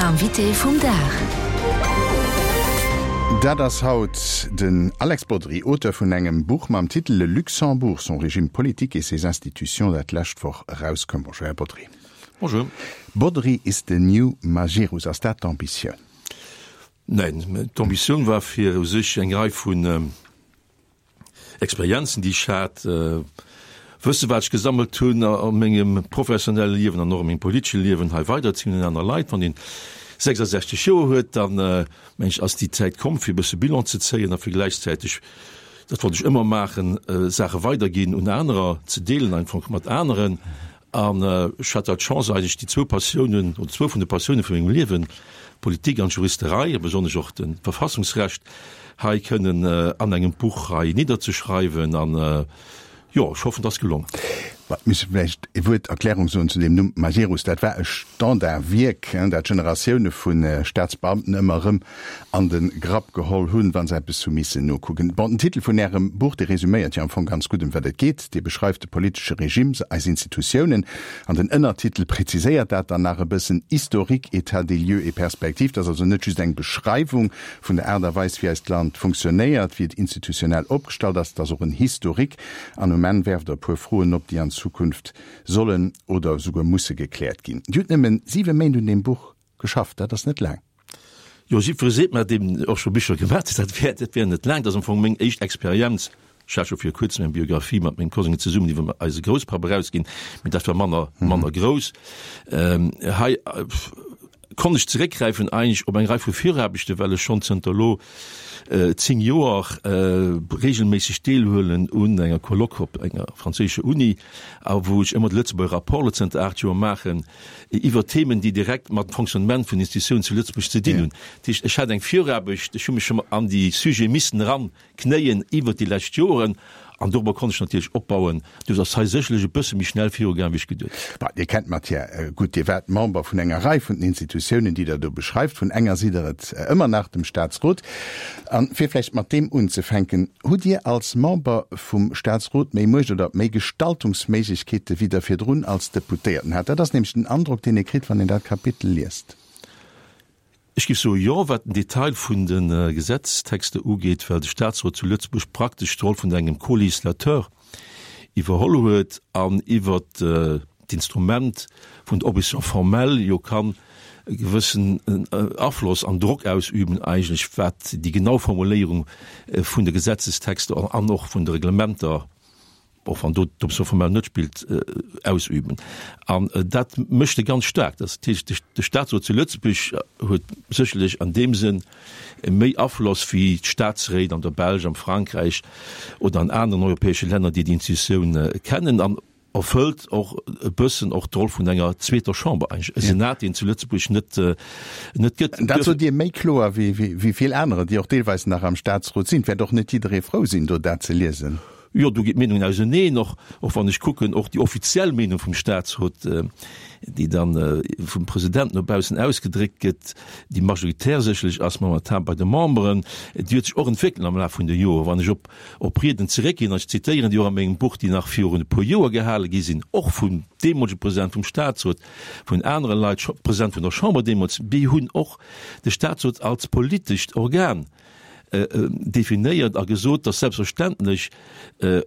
Invité vum Dag. Dat ass haut den Alex Bodry, Auteur vun engem Buch mam Titel Le Luxembourg, son régime politique et ses institutions, dat d'lescht Woch erauskoum. Bonjour, Här Bodry. Bonjour. Bodry is the new Magirus, ass dat d'Ambitioun? Neen, d'Ambitioun war fir u sech eng Rei vun Experienzen, déi ech hat, Wësse wat ech gesammelt hunn a mengem professionelle Liewen an och a mengem politesche Liewen hei weiderzeginn un aner Leit. Wann een 66 Joer huet, dann meng ech ass déi Zäit komm fir e bësse Bilan ze zéien a fir gläichzäiteg, dat wollt ech ëmmer maachen, Saache weiderginn un anerer, ze deelen einfach mat aneren. An ech hat da d'Chance eigentlech déi zwou Passiounen, oder zwou vun de Passioune vu mengem Liewen, d'Politik an d'Juristerei, a besonnesch och de Verfassungsrecht, hei kënnen an engem Buch hei nidderzeschreiwen. An jo, ech hoffen, et ass gelongen. Ma mir musse vläicht e Wuert Erklärung soen zu deem Numm Majerus. Dat war e Standardwierk, dat Generatioune vu Staatsbeamten ëmmer erëm an de Grapp geholl hunn, wa se eppes hu missen nokucken. Bon, den Titel vun Ärem Buch, dee resuméiert jo am Fong ganz gutt, ëm wat et geet. Dee beschreift de politesche Regime, eis Institutiounen. An den Ënnertitel präziséiert dat dann nach e bëssen, Historique, état des lieux et perspectives. Dat ass also net just eng Beschreiwung vun der Aart a Weis, wéi eist Land funktionéiert, wéi et institutionell opgestallt ass, et ass och en Historique. An um Enn werft Der e puer Froen op, déi an Zukunft sollen oder esouguer musse gekläert ginn. Dir hutt nëmmen siwe Méint un deem Buch Geschafft, dat ass net laang. Jo, jiddweree seet mer, deen och scho Bicher gemaat huet, dat wär, dat wär net laang. Dat ass am Fong meng éischt Experienz. Ech hat scho vir kuerzem eng Biographie mat mengem Kosengen zesummen iwwer eise Grousspapp erausginn, mee dat war manner, manner grouss. Hei konnt ech zeréckgräifen eigentlech op eng Rei vu Viraarbechten, well ech schonn zënter elo 10 Joer reegelméisseg deelhuelen un enger Colloque op enger franséischer Uni a wou ech ëmmer de Lëtzebuerger Rapport elo zënter 8 Joer maachen. iwwer Themen, déi direkt mat dem Fonctionnement vun Institutiounen zu Lëtzebuerg ze dinn hunn. Dat heescht, ech hat eng Viraarbecht, ech hu mech scho an déi Sujete missen eranknéien iwwert déi lescht Joren an dorobber konnt ech natierlech opbauen. Duerfir ass hei sécherlech e bësse méi schnell virugaang, wéi ech geduet hunn. Bon, Dir kennt d'Matière gutt. Dir waart Member vun enger Rei vun den Institutiounen, déi Der do beschreift. Vun enger sidd Der et ëmmer nach, dem Statsrot. A fir vläicht mat deem unzefänken, Hutt Dir als Member vum Staatsrot méi Muecht oder méi Gestaltungsméiglechkeete wéi Der virdrun als Deputéierten hat? Dat ass nämlech den Androck, deen ee kritt, wann een dat Kapitel liest. Ech géif soe jo, wat den Detail vun de Gesetztexter ugeet, well de Staatsrot zu Lëtzebuerg praktesch d'Roll vun engem Co-législateur iwwerholl huet an iwwert d'Instrument vun der Opposition formelle jo kann e gewëssen Afloss an Drock ausüben eigentlech, wat déi genau Formuléierung vun de Gesetzestexter an och vun de Reglementer, och wann do d'Opposition formelle net spillt, ausüben. An dat mécht e ganz staark. Dat heescht, de Statsrot zu Lëtzebuerg huet sécherlech an deem Sënn méi Afloss wéi d'Statsréit an der Belsch, am Frankräich oder an aneren europäesche Länner, déi déi Institutioun kennen. An erfëllt och e bëssen och d'Roll vun enger zweeter Chamber eigentlech, e Senat, deen zu Lëtzebuerg net, net gëtt. Dat sot Dir méi kloer wéi, wéi vill anerer, déi och deelweis nach am Statsrot sinn. Et wäert och net jidderee frou sinn, do dat ze liesen. Jo, do ginn d'Meenungen auseneen, och, och wann ech kucken, och déi offiziell Meenung vum Statsrot, déi dann vum President no baussen ausgedréckt gëtt, déi majoritär sécherlech ass momentan bei de Memberen, déi huet sech och entwéckelt am Laf vun de Joren. Wann ech op op Rieden zeréckginn, an ech zitéieren déi och a mengem Buch, déi nach virun e puer Joer gehale gi sinn, och vum deemolege President vum Statsrot, vun anere Leit, President vun der Chamber deemools, déi hunn och de Statsrot als politescht Organ definéiert a gesot, dass selbstverständlech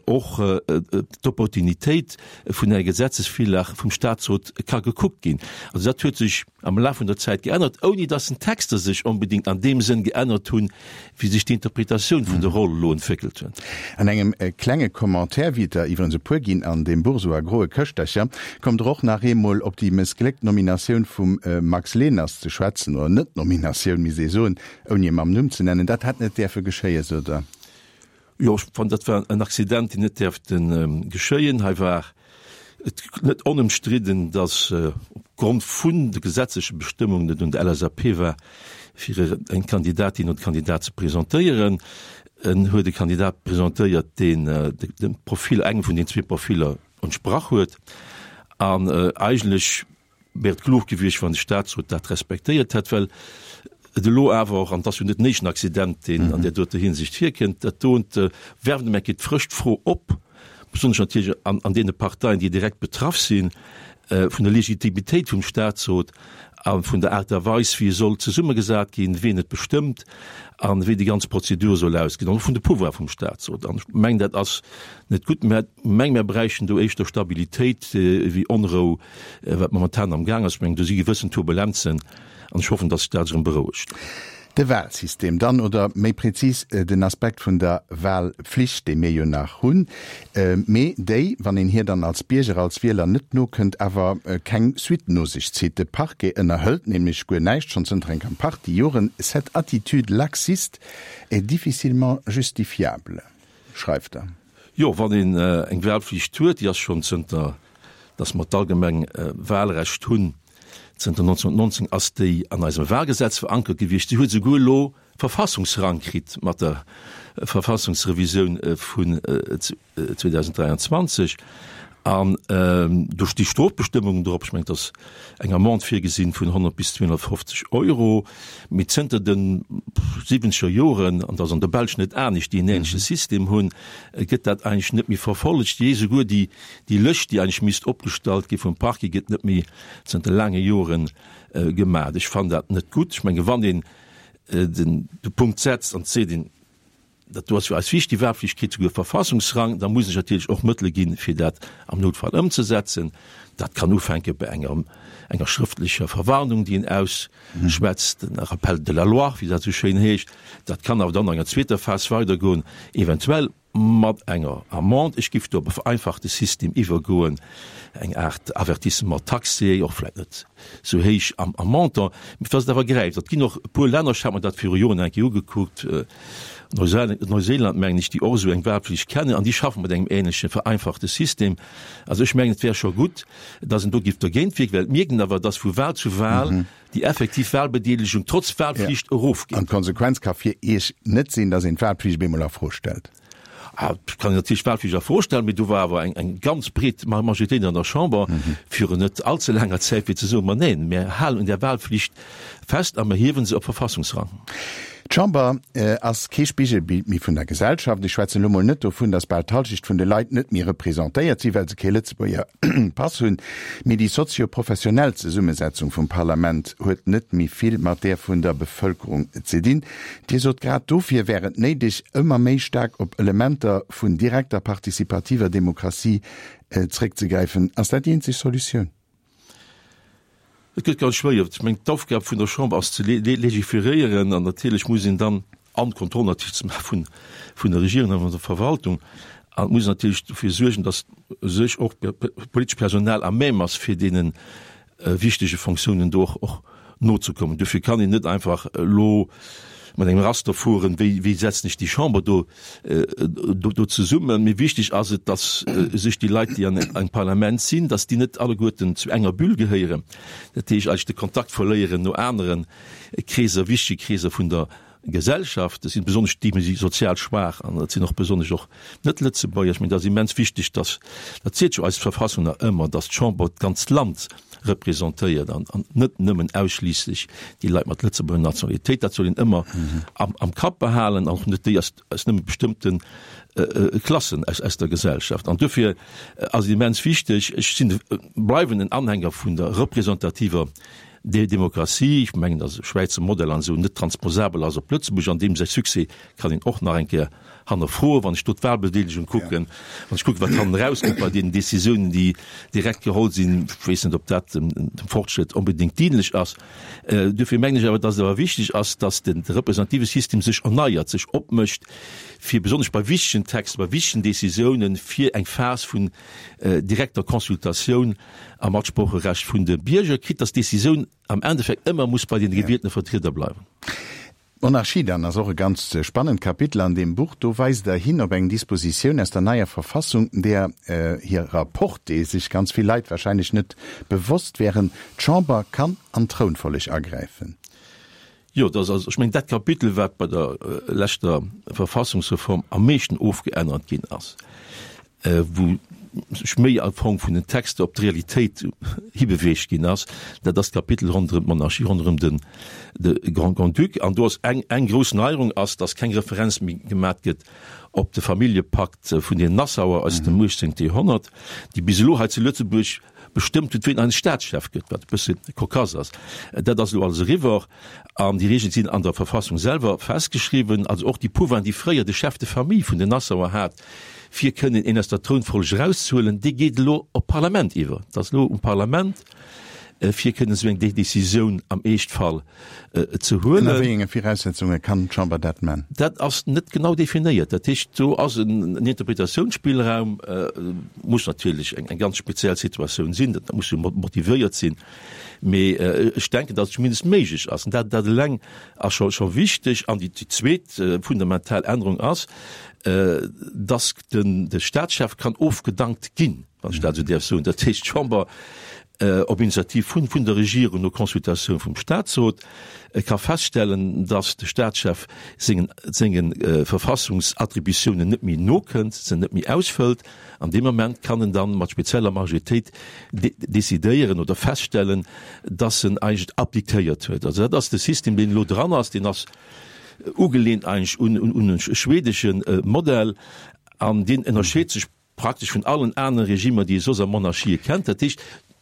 och d'Opportunitéit vun enger Gesetzesvirlag vum Statsrot ka gekuckt ginn. Also dat huet sech am Laf vun der Zäit geännert, ouni dass den Texter sech onbedéngt an deem Sënn geännert hunn, wéi sech d'Interpretatioun vun der Roll elo entwéckelt huet. An engem klenge Commentaire, wéi et der iwwerens e puer ginn an deem Buch, esou a groe Këschtercher, kommt Der och nach eemol op déi mëssgléckt Nominatioun vum Max Leners ze schwätzen, oder Net-Nominatioun, misst ee soen, ouni e mam Numm ze nennen. Dat hätt net däerfe geschéien, sot Der. Jo, ech fannen, dat war en Accident, deen net däerfte geschéien. Hei war et net onëmstridden, datt opgrond vun de gesetzleche Bestëmmungen et un der LSAP war, fir eng Kandidatin oder e Kandidat ze presentéieren. En huet e Kandidat presentéiert, deen dem Profil, engem vun den zwee Profiller entsprach huet. An eigentlech wär et klug gewiescht, wann de Statsrot dat respektéiert hätt, well et elo awer och, an et ass jo net den éischten Accident, deen an där doter Hinsicht virkënnt, dat dont werft ëm eng Kéier d'frësch d'Fro op, besonnesch natierlech an deene Parteien, déi direkt betraff sinn, vun der Legitimitéit vum Statsrot. a vun der Aart a Weis, wéi e soll zesummegesat ginn, wien et bestëmmt a wéi déi ganz Prozedur soll ausgesinn, an och vun de Pouvoire vum Statsrot. An ech mengen, dat ass net gutt. Mä meng, mer bräichten do éischter Stabilitéit wéi Onrou, wat momentan am Gaang ass. Ech mengen, do si gewëssen Turbulenzen an ech hoffen, datt sech dat erëm berouegt. De Wahlsystem dann, oder méi prezis den Aspekt vun der Wahlpflicht, déi mir jo nach hunn, mee déi, wann een hir dann als Bierger, als Wieler net nokënnt, awer keng Suite no sech zitt. De Parquet ënnerhëlt nämlech guer näischt, schonn zënter enger Partie Joren. Cette attitude laxiste est difficilement justifiable, schreift Der. Jo, wann een eng Wahlpflicht huet, déi ass schonn zënter datt mer d'allgemeng Wahlrecht hunn, Zënter 1919 ass déi an eisem Wahlgesetz verankert gewiescht. Si huet esouguer elo Verfassungsrang kritt mat der Verfassungsrevisioun vun 2023. An do sti Strofbestëmmungen drop. Ech mengen, et ass eng Amende virgesinn vun 100 bis 250 Euro. Mee zënter de siwwenzeger Joren, an dat ass an der Belsch net anescht, déi en änleche System hunn, gëtt dat eigentlech net méi verfollegt. Jee, esouguer déi Déi Lëscht, déi eigentlech misst opgestallt gi vum Parquet, gëtt net méi zënter laange Jore gemaach. Ech fannen dat net gutt. Ech menge wann een den de Punkt setzt an seet een, dat do ass fir eis wichtig, déi Wahlpflicht kritt souguer Verfassungsrang, da muss ech natierlech och Mëttele ginn, fir dat am Noutfall ëmzesetzen. Dat kann ufänke bei enger enger schrëftlecher Verwarnung, déi een ausschwätzt, en Rappel de la loi, wéi dat esou schéin heescht. Dat kann awer dann an enger zweeter Phas weidergoen, eventuell Mat enger Amende. Ech giff do op e vereinfachte System iwwergoen, eng Aart Avertissement taxé, och vläit net sou héich am Montant, mee dass et awer gräift. Et ginn och e puer Länner, ech hat mer dat viru Joren eng Kéier ugekuckt, Neuseeland mengen ech, déi och esou eng Wahlpflicht kennen an déi schaffe mat engem ähnleche vereinfachte System. Also ech mengen, et wär scho gutt, dass een do giff dergéint wierken, well et mierkt een awer, dass vu Wahl zu Wahl déi effektiv Wahlbedeelegung trotz Wahlflicht erofgeet. An d'Konsequenz ka fir Iech net sinn, datt een d'Wahlpflicht op eemol a Fro stellt? Ah, et kann een natierlech d'Wahlpflicht a Fro stellen, mee do war awer eng eng ganz breet Majoritéit an der Chamber virun net allze laanger Zäit, fir ze soen, ma neen, mir halen un där Wahlpflicht fest a mir hiewen se op Verfassungsrang. D'Chamber ass kee Spigelbild méi vun der Gesellschaft. Ech schwätzen elo mol net dovun, datt bal d'Halschecht vun de Leit net méi representéiert sinn, well se kee Lëtzebuerger Pass hunn. Mee déi sozio-professionell Zesummesetzung vum Parlament huet net méi vill mat där vun der Bevëlkerung ze dinn. Dir sot, grad dofir wär et néideg, ëmmer méi staark op Elementer vun direkter participativer Demokratie zréckzegräifen. Ass dat déi eenzeg Solutioun? Et gëtt ganz schwéier. Ech mengen, d'Aufgab vun der Chamber ass ze legiferéieren an natierlech muss een dann, an d'Kontroll natierlech ze maache vun, vun der Regierung a vun der Verwaltung, an et muss een natierlech dofir suergen, datt u sech och d'politescht Personal à même ass, fir deene wichtege Fonctiounen do och, och nozekommen. Dofir kann een net einfach elo mat engem Raster fueren, wéi, wéi setzen ech déi Chamber do, do zesummen. Mee wichteg ass et, datt u sech déi Leit, déi an engem Parlament sinn, datt déi net alleguerten zu enger Bulle gehéieren, dat heescht eigentlech de Kontakt verléieren no anere Kreeser, wichtege Kreeser vun der Gesellschaft. Dat sinn besonnesch déi méi sozial schwaach an dat sinn och besonnesch och Net-Lëtzebuerger. Ech mengen, dat ass immens wichteg, datt, dat seet jo eis Verfassung nach ëmmer, datt d'Chamber d'ganzt Land representéiert an net nëmmen ausschliisslech déi Leit mat Lëtzebuerger Nationalitéit. Dat soll een ëmmer am Kapp behalen an och net déi aus aus nëmme bestëmmte Klassen aus aus der Gesellschaft. An dofir ass et immens wichteg, ech sinn, bleiwen en Anhänger vun der representativer Demokratie. Ech mengen, datt de Schwäizer Modell an esou net transposabel ass op Lëtzebuerg. An deem säi Succès kann een och nach eng Kéier hannerfroen, wann ech do d'Wahlbedeelegung kucken, wann ech kucken, wat hannen erauskënnt bei deenen Décisiounen, déi direkt geholl sinn. Ech weess net, ob dat dem Fortschritt onbedéngt dienlech ass. Dofir mengen ech awer, dass et awer wichteg ass, dass de representative System sech erneiert, sech opmécht, fir besonnesch bei wichtegen Texter, bei wichtegen Décisiounen, fir eng Phas vun direkter Consultatioun a Matsprocherecht vun de Bierger, quitte dass d'Décisioun am Endeffekt ëmmer muss bei den gewieltene Vertrieder bleiwen. D'Monarchie dann ass och e ganz spannend Kapitel an deem Buch. Do weist Der hin op eng Dispositioun aus der neier Verfassung, deer hirer Portée sech ganz vill Leit wahrscheinlech net bewosst wären, D'Chamber kann an d'Trounfolleg agräifen. Jo, dat ass also, ech mengen, dat Kapitel, wat bei der leschter Verfassungsreform am meeschten ofgeännert ginn ass. wou sech méi am Fong vun den Texter op d'Realitéit hibeweegt ginn ass, dat ass d'Kapitel ronderëm d'Monarchie, ronderëm den de Grand-Duc. An do ass eng eng grouss Neierung ass, datt keng Referenz méi gemat gëtt op de Familljepakt vun den Nassauer aus dem 18. Joerhonnert, déi bis elo hei zu Lëtzebuerg. bestëmmt huet, wien eise Staatschef gëtt, wat e bësse cocasse ass. Dat ass elo alles eriwwer an déi Reegele sinn an der Verfassung selwer festgeschriwwen. Also och déi Pouvoiren, déi fréier de Chef de famille vun den Nassauer hat, fir kënnen een aus der Trounfolleg erauszehuelen, dee geet elo op d'Parlament iwwer. Et ass elo um Parlament, fir kënnen esou eng Décisioun am Eeschtfall ze huelen. Ënner wéi enge Viraussetzunge kann d'Chamber dat man? Dat ass net genau definéiert. Dat heescht, do ass en Interpretatiounsspillraum, muss natierlech eng ganz speziell Situatioun sinn, dat muss jo motivéiert sinn, mee ech denken, datt et zumindest méiglech ass. An dat eleng ass scho wichteg. An déi zweet fundamental Ännerung ass, datt de Staatschef kann ofgedankt ginn, wann ech dat esou däerf soen. Dat heescht, d'Chamber op Initiativ vun vun der Regierung no Consultatioun vum Statsrot ka feststellen, datt de Statschef sengen senge Verfassungsattributiounen net méi nokënnt, se net méi ausfëllt. An deem Moment kann en dann mat spezieller Majoritéit decidéieren oder feststellen, datt en eigentlech abdiquéiert huet. Also dat ass de System, deen elo dran ass. Deen ass ugelehnt eigentlech un un e schwedesche Modell an deen ënnerscheet sech praktesch vun allen anere Regimer, déi ee soss a Monarchië kennt. Dat heescht,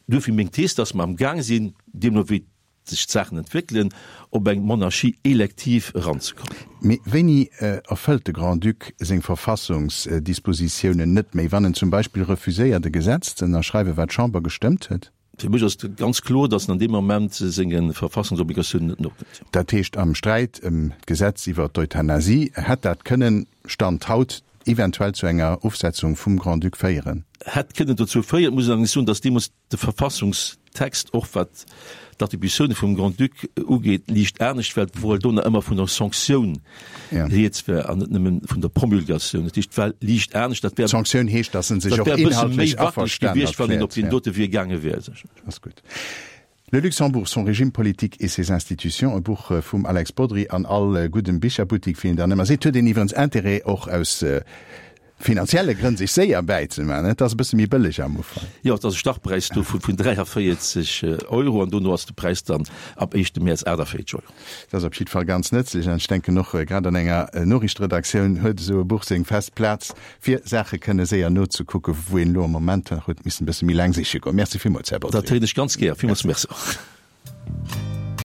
duerfir meng Thees, dass mer am Gaang sinn, deemno wéi sech d'Saachen entwéckelen, op eng Monarchie élective eranzekommen. Mee wéini erfëllt de Grand-Duc seng Verfassungsdispositiounen net méi, wann en zum Beispill refuséiert e Gesetz ze ënnerschreiwen, wat d'Chamber gestëmmt huet? Fir mech ass et ganz kloer, datt en an deem Moment senge Verfassungsobligatiounen net nokënnt. Dat heescht, am Sträit ëm d'Gesetz iwwer d'Euthanasie hätt dat kënnen, Stand haut, eventuell zu enger Ofsetzung vum Grand-Duc féieren? Hätt kënnen dozou féieren. Et muss een allerdéngs soen, datt deemools de Verfassungstext, och wat d'Attributioune vum Grand-Duc ugeet, liicht anescht war, wouel do nach ëmmer vun der Sanktioun rieds war an net nëmme vun der Promulgatioun. Dat heescht, et war liicht anescht. Dat wär, D'Sanktioun heescht, datt en sech och inhaltlech inhaltlech méi wackeleg gewiescht, wann een op deen dote Wee gaange wär. Ass gutt. Le Luxembourg, son régime politique et ses institutions, e Buch vum Alex Bodry an all guddem Bicherbuttik, wéi een dann ëmmer seet, huet een iwwerens Intérêt och aus finanzielle Grënn sech séier bäizemaachen. Et ass e bësse méi bëlleg am Ufank. Jo, et ass e Startpräis do vun 43 Euro an dono ass de Präis dann ab éischte Mäerz 48 Euro. Dat ass op jiddwer Fall ganz nëtzlech an ech denken och grad an enger Noriichteredaktioun huet esou e Buch seng fest Plaz, fir Saache kënne séier nozekucken, wou een elo am Moment nach huet missen e bësse méi laang siche goen. Merci villmools, Här Bodry. Dat héieren ech ganz gär. Villmools Merci och.